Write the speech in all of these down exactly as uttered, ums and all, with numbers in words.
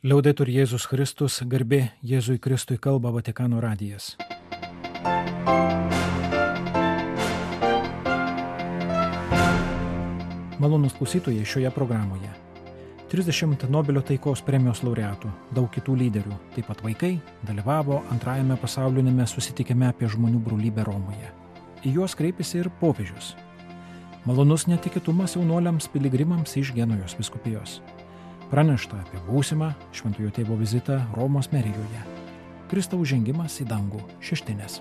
Liaudetur Jėzus Kristus, garbė Jėzui Kristui, kalba Vatikano radijas. Malonūs klausytojai šioje programoje. trisdešimt Nobelio taikos premijos laureatų, daug kitų lyderių, taip pat vaikai, dalyvavo antrajame pasaulinėme susitikime apie žmonių brolybę Romoje. Į juos kreipėsi ir popiežius. Malonus netikėtumas jaunuoliams piligrimams iš Genujos vyskupijos. Pranešta apie būsimą Šventojo Tėvo vizitą Romos merijoje. Kristaus žengimas į dangų šeštinės.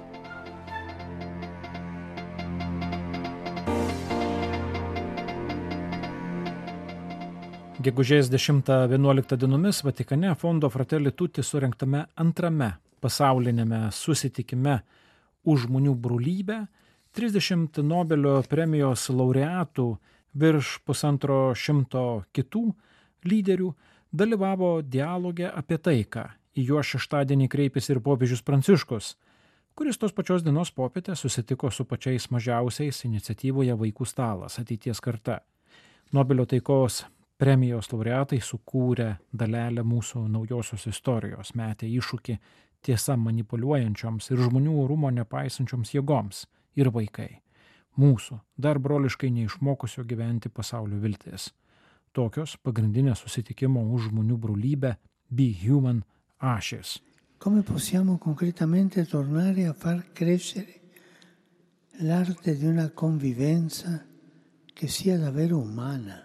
Gegužės dešimtą vienuoliktą dienomis Vatikane Fondo Fratelli Tutti surengtame antrame pasaulinėme susitikime už žmonių brolybę trisdešimt Nobelio premijos laureatų virš pusantro šimto kitų lyderių dalyvavo dialoge apie taiką. Į juos šeštadienį kreipėsi ir popiežius Pranciškus, kuris tos pačios dienos popietę susitiko su pačiais mažiausiais iniciatyvoje Vaikų stalas ateities karta. Nobelio taikos premijos laureatai sukūrė dalelę mūsų naujosios istorijos, metė iššūkį tiesa manipuliuojančioms ir žmonių orumo nepaisančioms jėgoms ir vaikai. Mūsų, dar broliškai neišmokusio gyventi pasaulio viltis. Tokios pagrindinės susitikimo už žmonių brolybę Be Human ašis. Come possiamo concretamente tornare a far crescere l'arte di una convivenza che sia davvero umana?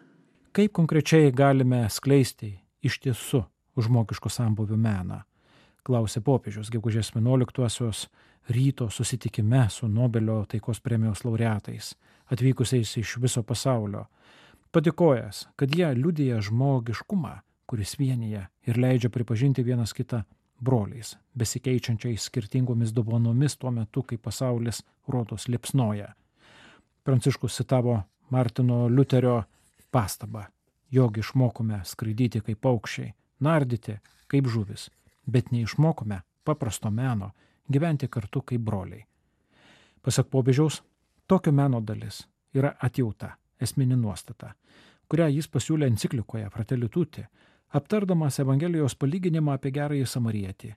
Kaip konkrečiai galime skleisti iš tiesų žmogiško sambūvio meną, klausė popiežius gegužės vienuoliktosios ryto susitikime su Nobelio taikos premijos laureatais, atvykusiais iš viso pasaulio. Padėkojęs, kad jie liudija žmogiškumą, kuris vienyje ir leidžia pripažinti vienas kitą broliais, besikeičiančiais skirtingomis dovanomis tuo metu, kai pasaulis rodos liepsnoja. Pranciškus citavo Martino Liuterio pastabą, jog išmokome skraidyti kaip paukščiai, nardyti kaip žuvis, bet neišmokome paprasto meno gyventi kartu kaip broliai. Pasak popiežiaus, tokio meno dalis yra atjauta, esminė nuostata, kurią jis pasiūlė enciklikoje Fratelli Tutti, aptardamas Evangelijos palyginimą apie gerąjį samarietį,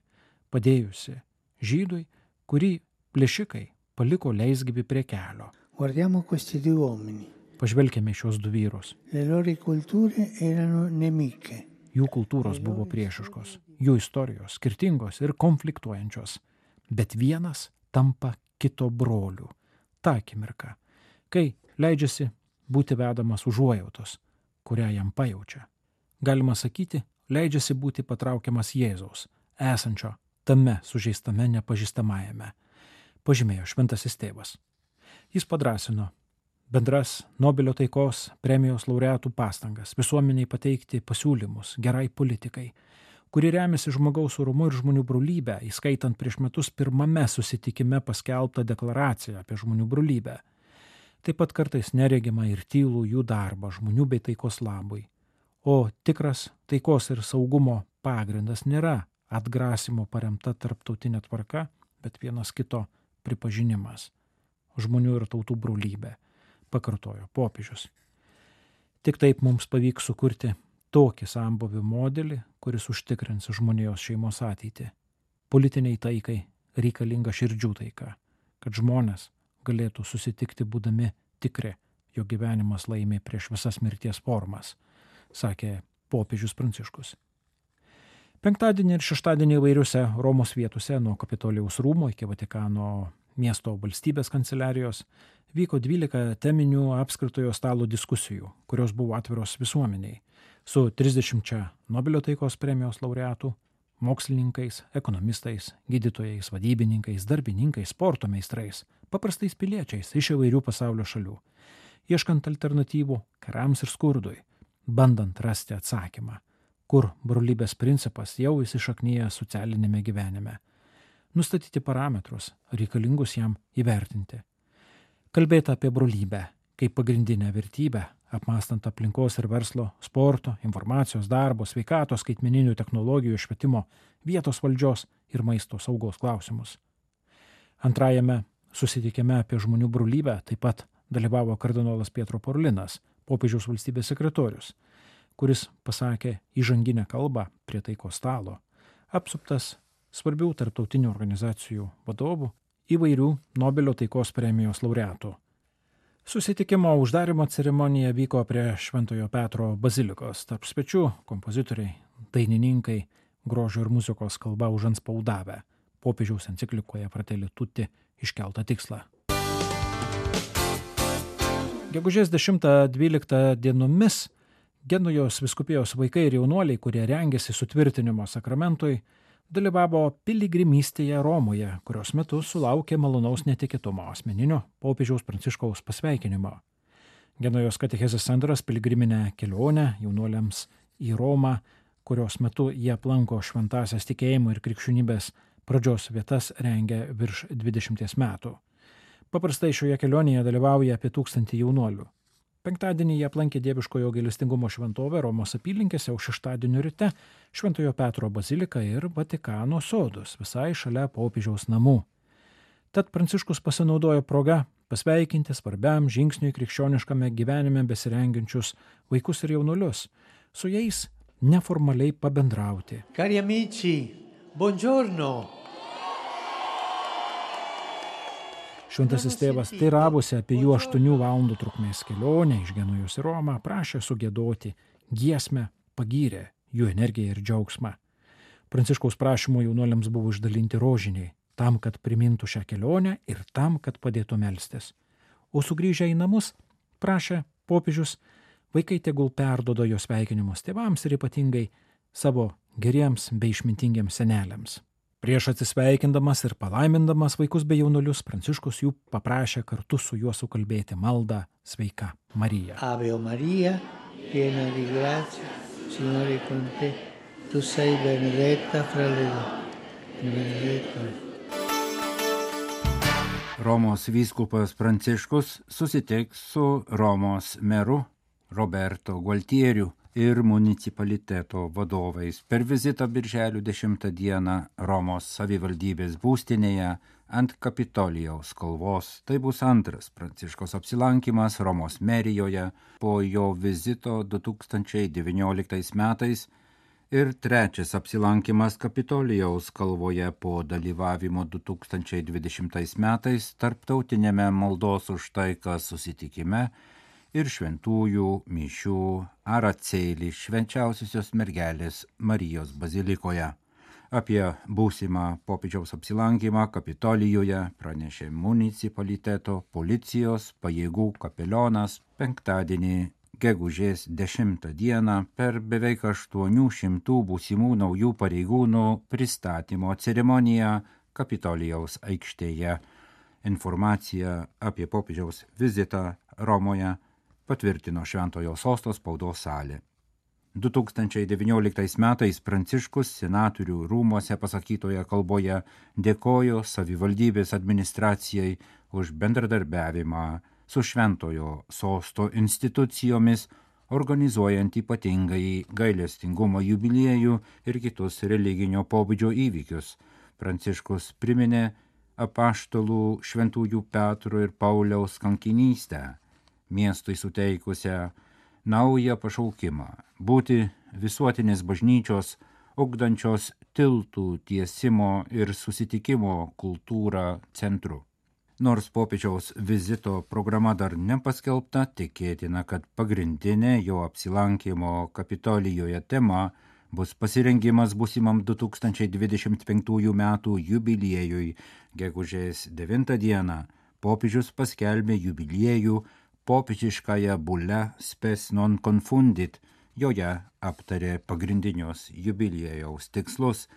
padėjusi žydui, kurį plėšikai paliko leisgyvį prie kelio. Guardiamo questi due uomini. Pažvelkime šios du vyrus. Le loro culture erano nemiche. Jų kultūros buvo priešiškos, jų istorijos skirtingos ir konfliktuojančios, bet vienas tampa kito broliu. Ta akimirka, kai leidžiasi būti vedamas užuojautos, kurią jam pajaučia. Galima sakyti, leidžiasi būti patraukiamas Jėzaus, esančio tame sužeistame nepažįstamajame, pažymėjo šventasis tėvas. Jis padrasino bendras Nobelio taikos premijos laureatų pastangas visuomeniai pateikti pasiūlymus gerai politikai, kuri remiasi žmogaus orumu ir žmonių brolybę, įskaitant prieš metus pirmame susitikime paskelbtą deklaraciją apie žmonių brolybę. Taip pat kartais neregima ir tylų jų darbą žmonių bei taikos labui. O tikras taikos ir saugumo pagrindas nėra atgrasimo paremta tarptautinė tvarka, bet vienas kito pripažinimas. Žmonių ir tautų brolybė, pakartojo popiežius. Tik taip mums pavyks sukurti tokį sambūvio modelį, kuris užtikrins žmonijos šeimos ateitį. Politiniai taikai reikalinga širdžių taika, kad žmonės galėtų susitikti būdami tikri, jo gyvenimas laimė prieš visas mirties formas, sakė popiežius Pranciškus. Penktadienį ir šeštadienį įvairiuose Romos vietose nuo Kapitolijaus rūmų iki Vatikano miesto valstybės kanceliarijos vyko dvylika teminių apskritojo stalo diskusijų, kurios buvo atviros visuomeniai, su trisdešimčia Nobelio taikos premijos laureatų, mokslininkais, ekonomistais, gydytojais, vadybininkais, darbininkais, sporto meistrais, paprastais piliečiais iš įvairių pasaulio šalių, ieškant alternatyvų karams ir skurdui, bandant rasti atsakymą, kur brolybės principas jau įsišaknyja socialinėme gyvenime, nustatyti parametrus, reikalingus jam įvertinti. Kalbėti apie brolybę kaip pagrindinę vertybę, apmąstant aplinkos ir verslo, sporto, informacijos, darbo, sveikatos, skaitmeninių technologijų, švietimo, vietos valdžios ir maisto saugos klausimus. Antrajame susitikime apie žmonių brolybę taip pat dalyvavo kardinolas Pietro Parolinas, popiežiaus valstybės sekretorius, kuris pasakė įžanginę kalbą prie taikos stalo, apsuptas svarbių tarptautinių organizacijų vadovų, įvairių Nobelio taikos premijos laureatų. Susitikimo uždarimo ceremonija vyko prie Šventojo Petro bazilikos, tarp svečių kompozitoriai, dainininkai, grožio ir muzikos kalba užantspaudavę popiežiaus enciklikoje Fratelli Tutti iškeltą tikslą. Gegužės dešimtą dvyliktą dienomis Genujos vyskupijos vaikai ir jaunuoliai, kurie rengėsi sutvirtinimo sakramentui, dalyvavo piligrimystėje Romoje, kurios metu sulaukė malonaus netikėtumo asmeninio popiežiaus Pranciškaus pasveikinimo. Genujos katechezės centras piligriminę kelionę jaunuoliams į Romą, kurios metu jie aplanko šventąsias tikėjimo ir krikščionybės pradžios vietas, rengia virš dvidešimties metų. Paprastai šioje kelionėje dalyvauja apie tūkstantį jaunuolių. Penktadienį jie aplankė Dieviškojo gailestingumo šventovę Romos apylinkėse, o šeštadienio ryte Šventojo Petro baziliką ir Vatikano sodus, visai šalia popiežiaus namų. Tad Pranciškus pasinaudojo proga pasveikinti svarbiam žingsniui krikščioniškame gyvenime besirengiančius vaikus ir jaunuolius, su jais neformaliai pabendrauti. Cari amici, buongiorno. Šventasis tėvas teiravosi apie jų aštuonių valandų trukmės kelionę iš Genujos į Romą, prašė sugiedoti giesmę, pagyrė jų energiją ir džiaugsmą. Pranciškaus prašymu jaunuoliams buvo išdalinti rožiniai, tam, kad primintų šią kelionę ir tam, kad padėtų melstis. O sugrįžę į namus, prašė popiežius, vaikai tegul perdodo jo sveikinimus tėvams ir ypatingai savo geriems bei išmintingiems seneliams. Prieš atsisveikindamas ir palaimindamas vaikus bei jaunuolius, Pranciškus jų paprašė kartu su juo sukalbėti maldą Sveika Marija. Ave Maria, piena di grazia, Signore con te, tu sei benedetta fra le donne. Romos vyskupas Pranciškus susitiks su Romos meru Roberto Gualtieriu ir municipaliteto vadovais per vizitą birželio dešimtą dieną Romos savivaldybės būstinėje ant Kapitolijaus kalvos. Tai bus antras Pranciškaus apsilankimas Romos merijoje po jo vizito du tūkstančiai devynioliktais metais ir trečias apsilankimas Kapitolijaus kalvoje po dalyvavimo du tūkstančiai dvidešimtais metais tarptautinėme maldos už taiką susitikime ir šventųjų mišių Araceli švenčiausiosios mergelės Marijos bazilikoje. Apie būsimą popiežiaus apsilankymą Kapitolijoje pranešė municipaliteto policijos pajėgų kapelionas penktadienį gegužės dešimtą dieną per beveik aštuonių šimtų būsimų naujų pareigūnų pristatymo ceremoniją Kapitolijaus aikštėje. Informaciją apie popiežiaus vizitą Romoje patvirtino Šventojo sosto spaudos salė. du tūkstančiai devynioliktais metais Pranciškus senatorių rūmuose pasakytoje kalboje dėkojo savivaldybės administracijai už bendradarbiavimą su Šventojo sosto institucijomis, organizuojant ypatingai gailestingumo jubiliejų ir kitus religinio pobūdžio įvykius. Pranciškus priminė apaštalų šventųjų Petro ir Pauliaus kankinystę, miestui suteikusią naują pašaukimą būti visuotinės bažnyčios, ugdančios tiltų tiesimo ir susitikimo kultūrą centru. Nors popiežiaus vizito programa dar nepaskelbta, tikėtina, kad pagrindinė jo apsilankimo Kapitolijoje tema bus pasirengimas būsimam du tūkstančiai dvidešimt penktųjų metų jubiliejui. Gegužės devintą dieną popiežius paskelbė jubiliejų popiežiškąją bulę Spes non confundit. Joje aptarė pagrindinius jubiliejaus tikslus.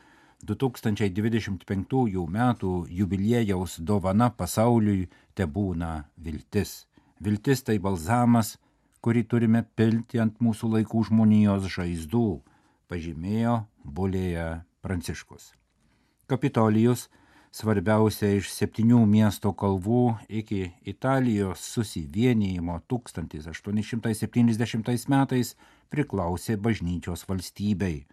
du tūkstančiai dvidešimt penktųjų metų jubiliejaus dovana pasauliui tebūna viltis. Viltis tai balzamas, kurį turime pilti ant mūsų laikų žmonijos žaizdų, pažymėjo bulėje Pranciškus. Kapitolijus, svarbiausia iš septynių miesto kalvų iki Italijos susivienijimo tūkstantis aštuoni šimtai septyniasdešimtais metais, priklausė bažnyčios valstybei.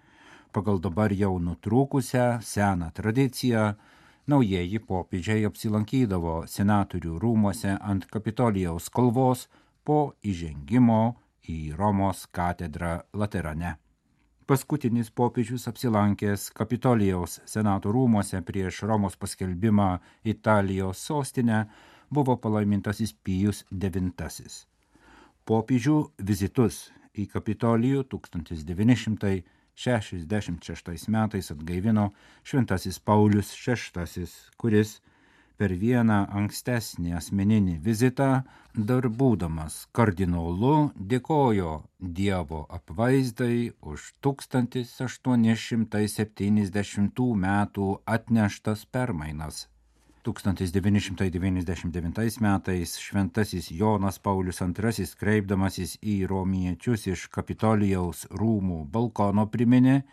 Pagal dabar jau nutrūkusią seną tradiciją, naujieji popiežiai apsilankydavo senatorių rūmuose ant Kapitolijaus kalvos po įžengimo į Romos katedrą Laterane. Paskutinis popiežius apsilankęs Kapitolijaus senato rūmuose prieš Romos paskelbimą Italijos sostinę buvo palaimintasis Pijus devintasis. Popiežių vizitus į Kapitolijų tūkstantis devyni šimtai šešiasdešimt šeštais metais atgaivino šventasis Paulius šeštasis, kuris per vieną ankstesnį asmeninį vizitą, dar būdamas kardinolu, dėkojo Dievo apvaizdai už tūkstantis aštuoni šimtai septyniasdešimtų metų atneštas permainas. tūkstantis devyni šimtai devyniasdešimt devintais metais šventasis Jonas Paulius antrasis, kreipdamasis į romiečius iš Kapitolijaus rūmų balkono, priminė,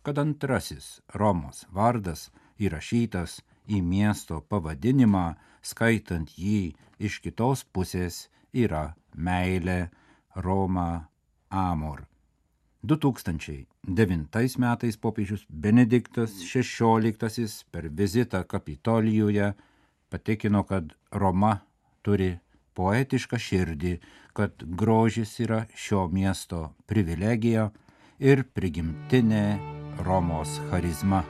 kad antrasis Romos vardas įrašytas į miesto pavadinimą, skaitant jį iš kitos pusės, yra meilė, Roma, amor. du tūkstančiai devintais metais popiežius Benediktas šešioliktasis per vizitą Kapitolijuje patikino, kad Roma turi poetišką širdį, kad grožis yra šio miesto privilegija ir prigimtinė Romos charizma.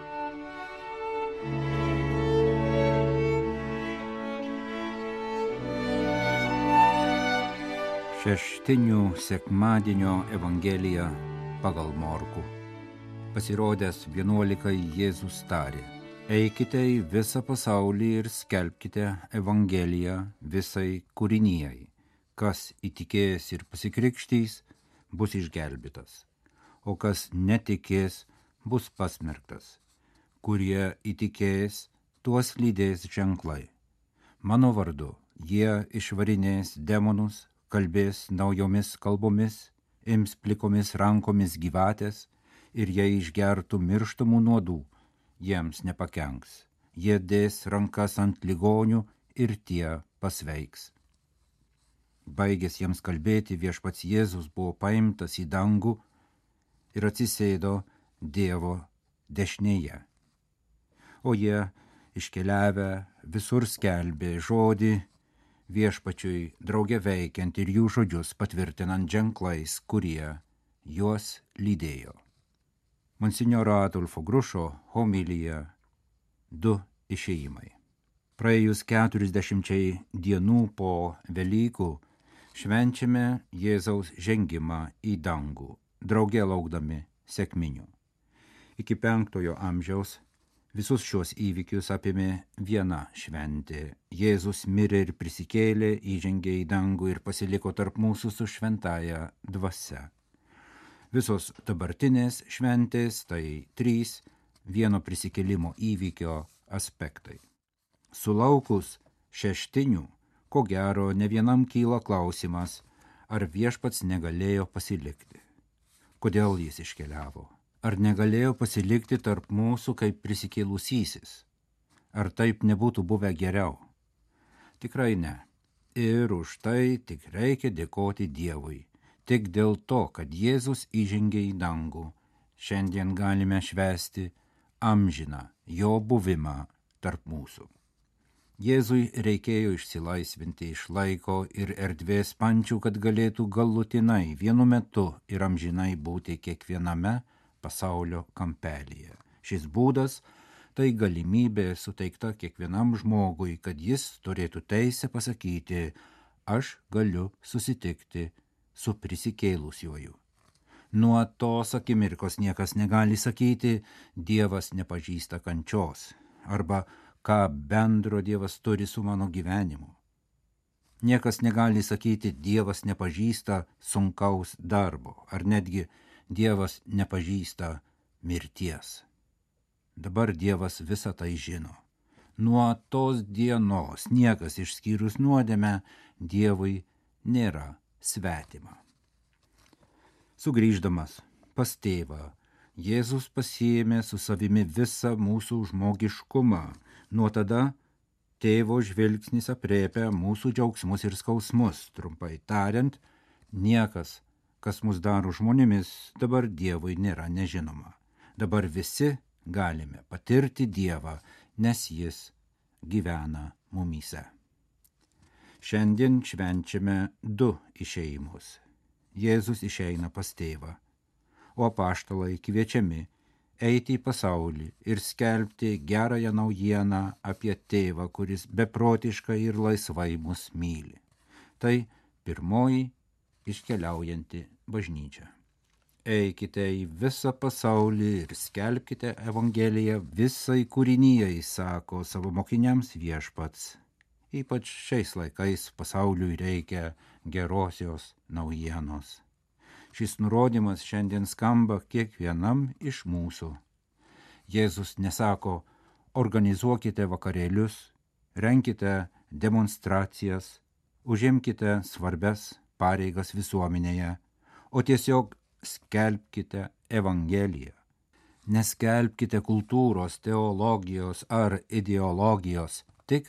Šeštinių sekmadienio Evangelija pagal Morkų. Pasirodęs vienuolikai Jėzus tarė: eikite į visą pasaulį ir skelbkite Evangeliją visai kūrinijai. Kas įtikės ir pasikrikštys, bus išgelbėtas, o kas netikės, bus pasmerktas. Kurie įtikės, tuos lydės ženklai. Mano vardu jie išvarinės demonus, kalbės naujomis kalbomis, ims plikomis rankomis gyvatės ir jei išgertų mirštamų nuodų, jiems nepakenks. Jie dės rankas ant ligonių ir tie pasveiks. Baigęs jiems kalbėti, viešpats Jėzus buvo paimtas į dangų ir atsisėdo Dievo dešinėje. O jie, iškeliavę, visur skelbė žodį viešpačiui drauge veikiant ir jų žodžius patvirtinant ženklais, kurie juos lydėjo. Monsinjoro Adolfo Grušo homilija Du išėjimai. Praėjus keturiasdešimčiai dienų po Velykų švenčiame Jėzaus žengimą į dangų, drauge laukdami sekminių. Iki penktojo amžiaus visus šios įvykius apėmė viena šventė. Jėzus mirė ir prisikėlė, įžengė į dangų ir pasiliko tarp mūsų su šventąja dvasia. Visos dabartinės šventės tai trys vieno prisikėlimo įvykio aspektai. Sulaukus šeštinių, ko gero, ne vienam kyla klausimas, ar viešpats negalėjo pasilikti. Kodėl jis iškeliavo? Ar negalėjo pasilikti tarp mūsų kaip prisikėlusysis? Ar taip nebūtų buvę geriau? Tikrai ne. Ir už tai tik reikia dėkoti Dievui. Tik dėl to, kad Jėzus įžengė į dangų, šiandien galime švęsti amžiną jo buvimą tarp mūsų. Jėzui reikėjo išsilaisvinti iš laiko ir erdvės pančių, kad galėtų galutinai vienu metu ir amžinai būti kiekviename pasaulio kampelyje. Šis būdas tai galimybė suteikta kiekvienam žmogui, kad jis turėtų teisę pasakyti: aš galiu susitikti su prisikėlusiuoju. Nuo tos akimirkos niekas negali sakyti: Dievas nepažįsta kančios, arba ką bendro Dievas turi su mano gyvenimu. Niekas negali sakyti: Dievas nepažįsta sunkaus darbo, ar netgi Dievas nepažįsta mirties. Dabar Dievas visą tai žino. Nuo tos dienos niekas išskyrus nuodėmę Dievui nėra svetima. Sugrįždamas pas tėvą, Jėzus pasiėmė su savimi visą mūsų žmogiškumą. Nuo tada tėvo žvilgsnis aprėpia mūsų džiaugsmus ir skausmus. Trumpai tariant, niekas, kas mus daro žmonėmis, dabar Dievui nėra nežinoma. Dabar visi galime patirti Dievą, nes jis gyvena mumyse. Šiandien švenčiame du išėjimus. Jėzus išeina pas tėvą. o apaštalai kviečiami eiti į pasaulį ir skelbti gerąją naujieną apie tėvą, kuris beprotiškai ir laisvai mus myli. Tai pirmoji iškeliaujanti bažnyčia. Eikite į visą pasaulį ir skelbkite Evangeliją visai kūrinijai, sako savo mokiniams Viešpats. Ypač šiais laikais pasauliui reikia gerosios naujienos. Šis nurodymas šiandien skamba kiekvienam iš mūsų. Jėzus nesako, organizuokite vakarėlius, renkite demonstracijas, užimkite svarbias pareigas visuomenėje, o tiesiog skelbkite Evangeliją. Neskelbkite kultūros, teologijos ar ideologijos, tik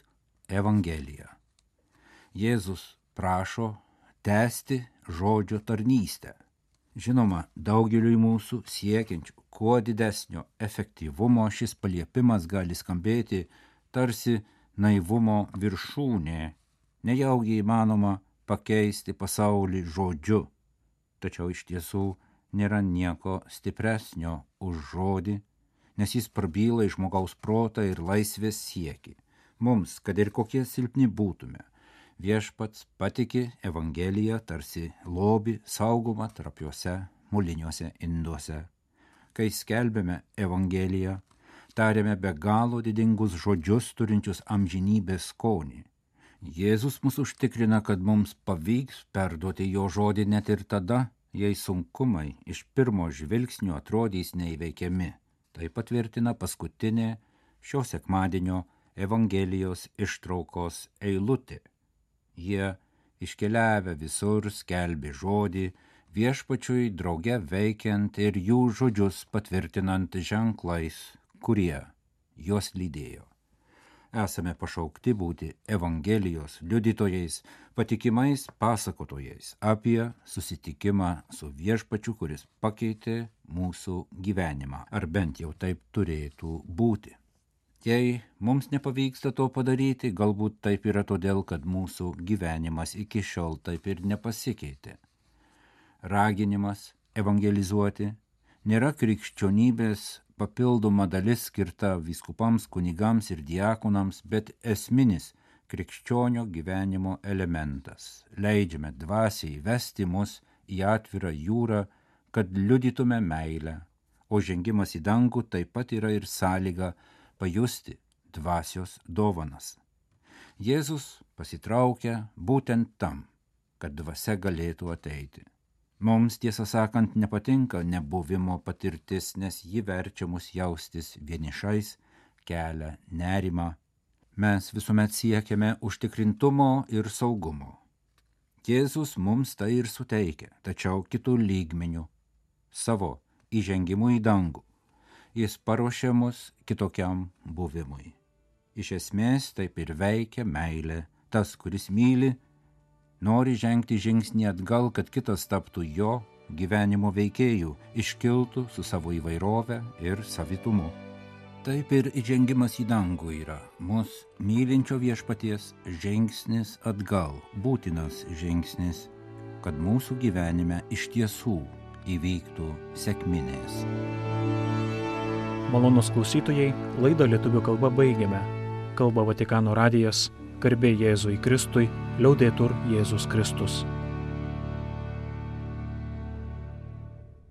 Evangeliją. Jėzus prašo tęsti žodžio tarnystę. Žinoma, daugeliui mūsų siekiančių kuo didesnio efektyvumo šis paliepimas gali skambėti tarsi naivumo viršūnė, nejaugi įmanoma pakeisti pasaulį žodžiu. Tačiau iš tiesų nėra nieko stipresnio už žodį, nes jis prabyla į žmogaus protą ir laisvės siekį. Mums, kad ir kokie silpni būtume, Viešpats patiki Evangeliją tarsi lobį saugomą trapiuose moliniuose induose. Kai skelbėme Evangeliją, tariame be galo didingus žodžius turinčius amžinybės skonį. Jėzus mus užtikrina, kad mums pavyks perduoti jo žodį net ir tada, jei sunkumai iš pirmo žvilgsnio atrodys neįveikiami. Tai patvirtina paskutinė šio sekmadienio Evangelijos ištraukos eilutė. Jie iškeliavę visur skelbė žodį, Viešpačiui drauge veikiant ir jų žodžius patvirtinant ženklais, kurie juos lydėjo. Esame pašaukti būti Evangelijos liudytojais, patikimais pasakotojais apie susitikimą su Viešpačiu, kuris pakeitė mūsų gyvenimą, ar bent jau taip turėtų būti. Jei mums nepavyksta to padaryti, galbūt taip yra todėl, kad mūsų gyvenimas iki šiol taip ir nepasikeitė. Raginimas evangelizuoti nėra krikščionybės papildoma dalis skirta vyskupams, kunigams ir diakonams, bet esminis krikščionio gyvenimo elementas. Leidžiame dvasiai vesti mus į atvirą jūrą, kad liudytume meilę, o žengimas į dangų taip pat yra ir sąlyga pajusti dvasios dovanas. Jėzus pasitraukia būtent tam, kad dvasia galėtų ateiti. Mums, tiesą sakant, nepatinka nebuvimo patirtis, nes ji verčia mus jaustis vienišais, kelia nerimą. Mes visuomet siekiame užtikrintumo ir saugumo. Jėzus mums tai ir suteikia, tačiau kitų lygmenių, savo įžengimu į dangų. Jis paruošia mus kitokiam buvimui. Iš esmės taip ir veikia meilė. Tas, kuris myli, nori žengti žingsnį atgal, kad kitas taptų jo gyvenimo veikėjų, iškiltų su savo įvairove ir savitumu. Taip ir įžengimas į dangų yra mus mylinčio Viešpaties žingsnis atgal, būtinas žingsnis, kad mūsų gyvenime iš tiesų įvyktų sekminės. Malonūs klausytojai, laidą lietuvių kalba baigiame. Kalba Vatikano radijas, garbė Jėzui Kristui, liaudetur Jėzus Kristus.